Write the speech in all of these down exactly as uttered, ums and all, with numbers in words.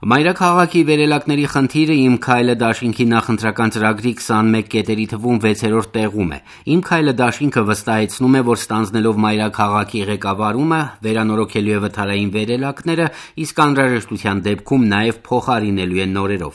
Մայրաքաղաքի վերելակների խնդիրը «Իմ քայլը» դաշինքի նախընտրական ծրագրի քսանմեկ կետերի թվում վեցերորդ տեղում է։ «Իմ քայլը» դաշինքը վստահեցնում է, որ ստանձնելով մայրաքաղաքի ղեկավարումը վերանորոգելու է վթարային վերելակները, իսկ անհրաժեշտության դեպքում նաև փոխարինելու է նորերով։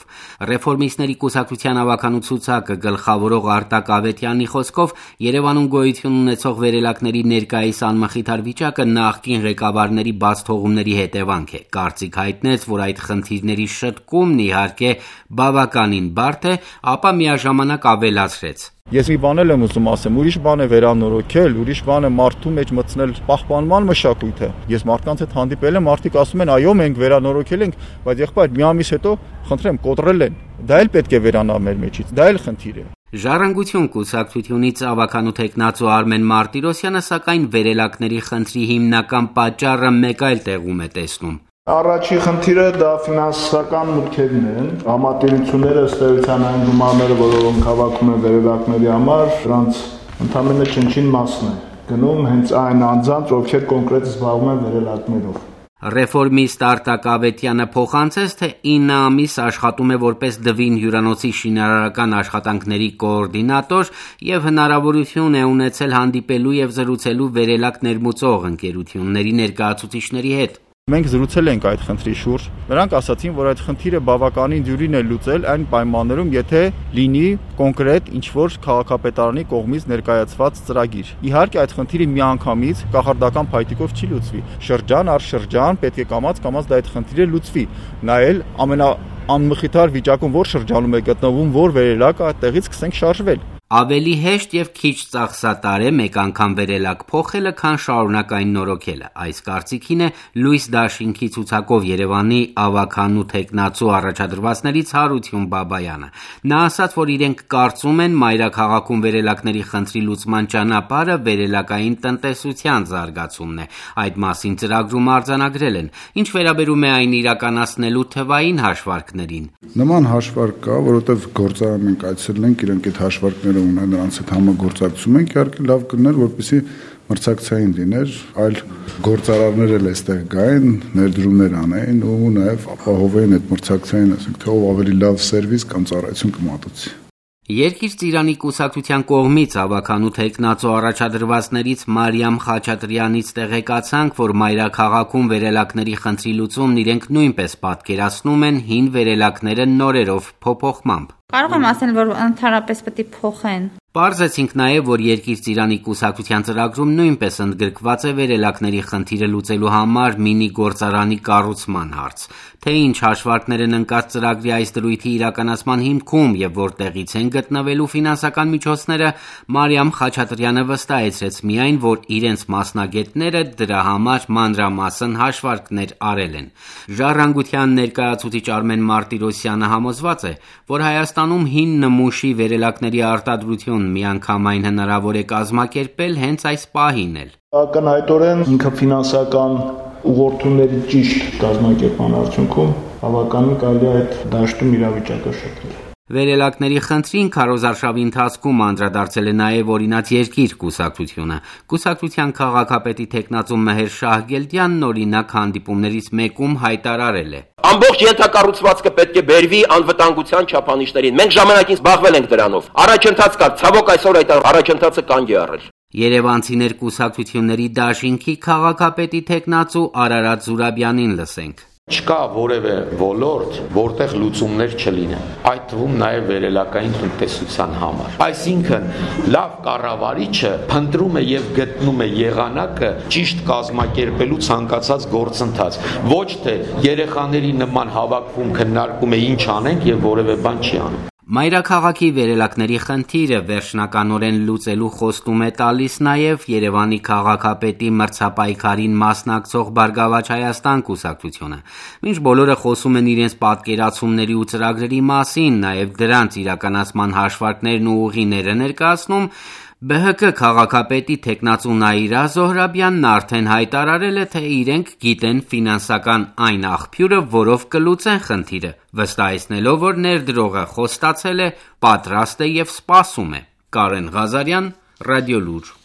Ռեֆորմիստների կուսակցության ավականու ցուցակը գլխավորող Արտակ Ավետյանի խոսքով Երևանում գոյություն ունեցող վերելակների ներկայիս անմխիթար վիճակը նախկին ղեկավարների բացթողումների հետևանք է։ Կարծիք հայտնեց, որ այդ խնդիրների շտկումն իհարկե բավականին բարդ է, ապա միաժամանակ ավելացրեց. Ես մի բան եմ ուզում ասեմ, ուրիշ բան է վերանորոգել, ուրիշ բան է մարդու մեջ մտցնել պահպանման մշակույթը։ Ես մարդկանց հետ հանդիպել եմ, մարդիկ ասում են, այո, մենք վերանորոգել ենք, բայց եղբայր մի ամիս հետո, խնդրեմ, կոտրել են։ Դա էլ պետք է վերանա մեր մեջից, դա էլ խնդիր է։ Ժառանգություն կուսակցությունից ավականու թեկնածու Արմեն Մարտիրոսյանը սակայն վերելակների խնդրի հիմնական պատճառը մեկ այլ տեղում է տեսնում. Առաջի խնդիրը դա ֆինանսական մուտքերն են, համատիրությունները ըստ էության այն գումարները, որոնք հավաքում են վերելակների համար, դրանց ընդամենը չնչին մասն է գնում հենց այն անձանց, ովքեր կոնկրետ զբաղվում են վերելակներով։ Ռեֆորմիստ Արտակ Ավետյանը փոխանցեց, թե ինը ամիս աշխատում է որպես Դվին հյուրանոցի շինարարական աշխատանքների կոորդինատոր եւ հնարավորություն է ունեցել հանդիպելու եւ զրուցելու վերելակ ներմուծող ընկերությունների ներկայացուցիչների հետ։ Մենք զրուցել ենք այդ խնդրի շուրջ։ Նրանք ասացին, որ այդ խնդիրը բավականին դյուրին է լուծել այն պայմաններում, եթե լինի կոնկրետ ինչ-որ քաղաքապետարանի կողմից ներկայացված ծրագիր։ Իհարկե այդ խնդիրը միանգամից կախարդական փայտիկով չի լուծվի։ Շրջան առ շրջան պետք է կամաց-կամաց դա այդ խնդիրը լուծվի։ Նա էլ ամենաանմխիթար վիճակում որ շրջանում է գտնվում, որ վերելակը այդտեղից սկսենք շարժվել։ Ավելի հեշտ եւ քիչ ծախսատար է մեկ անգամ վերելակ փոխելը, քան շարունակային նորոգելը։ Այս կարծիքին է Լույս դաշինքի ցուցակով Երևանի ավականու թեկնածու առաջադրվածներից Հարություն Բաբայանը։ Նա ասաց, որ իրենք կարծում են մայրաքաղաքում վերելակների խնդրի լուծման ճանապարհը վերելակային տնտեսության զարգացումն է։ Այդ մասին ծրագրում արձանագրել են։ Ինչ վերաբերում է այն իրականացնելու թվային հաշվարկներին։ Նման հաշվարկ կա, որովհետև գործարան մենք այցելել ենք, իրենք այդ հաշվարկները ունեն, նրանց հետ համագործակցում ենք, իհարկե լավ կներ, որպեսզի մրցակցային լիներ, այլ գործարարներ էլ այստեղ գային, ներդրումներ անեն ու նաև ապահովեն այդ մրցակցային, ասենք, թե ով ավելի լավ սերվիս կամ ծառայություն կմատուցի։ Երկիր ծիրանի կուսակցության կողմից ավականու թեկնածու առաջադրվածներից Մարիամ Խաչատրյանից տեղեկացանք, որ մայրաքաղաքում վերելակների խնդրի լուծումն իրենք նույնպես պատկերացնում են հին վերելակները նորերով փոփոխմամբ։ Կարող եմ ասել, որ ընդհանրապես պետք է փոխեն։ Պարզեցինք նաև, որ Երկիր ծիրանի կուսակցության ծրագրում նույնպես ընդգրկված է վերելակների խնդիրը լուծելու համար մինի գործարանի կառուցման հարց։ Թե ինչ հաշվարկներ են ընկած ծրագրի այս դրույթի իրականացման հիմքում եւ որտեղից են գտնվելու ֆինանսական միջոցները, Մարիամ Խաչատրյանը վստահեցրեց միայն, որ իրենց մասնագետները դրա համար մանրամասն հաշվարկներ արել են։ Ժառանգության ներկայացուցիչ Արմեն Մարտիրոսյանը համոզված է, որ Հայաստանում հին նմուշի վերելակների արտադրություն միանգամայն հնարավոր է կազմակերպել հենց այս պահին էլ։ Ակնհայտորեն ինքը ֆինանսական ուղղորդումների ճիշտ կազմակերպման արդյունքում բավականին կարելի է այդ դաշտում իրավիճակը շփվել։ Վերելակների խնդրին քարոզարշավի ընթացքում անդրադարձել է նաև օրինաց Երկիր կուսակցությունը։ Կուսակցության քաղաքապետի թեկնածու Մեհեր Շահգելդյանն օրինակ հանդիպումներից մեկում հայտարարել է. Ամբողջ ենթակառուցվածքը պետք է բերվի անվտանգության չափանիշներին։ Մենք ժամանակին զբաղվել ենք դրանով։ Առաջընթաց կար, ցավոք այսօր այդ առաջընթացը կանգ է առել։ Երևանցիներ կուսակցությունների դաշինքի քաղաքապետի թեկնածու Արարատ Զուրաբյանին լսենք. Չկա որևէ ոլորտ, որտեղ լուծումներ չլինեն, այդ թվում նաև վերելակային տնտեսության համար։ Այսինքն, լավ կառավարիչը փնտրում է եւ գտնում է եղանակը ճիշտ կազմակերպելու ցանկացած գործընթաց, ոչ թե երեխաների նման հավաքվում քննարկում է ինչ անենք եւ որևէ բան չի անում։ Մայրաքաղաքի վերելակների խնդիրը վերջնականորեն լուծելու խոստում է տալիս նաև Երևանի քաղաքապետի մրցապայքարին մասնակցող Բարգավաճ Հայաստան կուսակցությունը։ Մինչ բոլորը խոսում են իրենց պատկերացումների ու ծրագրերի մասին, նաև դրանց իրականացման հաշվարկներն ու ուղիները ներկայացնում, Բ Հ Կ քաղաքապետի թեկնածու Նաիրա Զոհրաբյանն արդեն հայտարարել է, թե իրենք գիտեն ֆինանսական այն աղբյուրը, որով կլուծեն խնդիրը, վստահեցնելով, որ ներդրողը խոստացել է, պատրաստ է եւ սպասում է։ Կարեն Ղազարյան, Ռադիոլուր։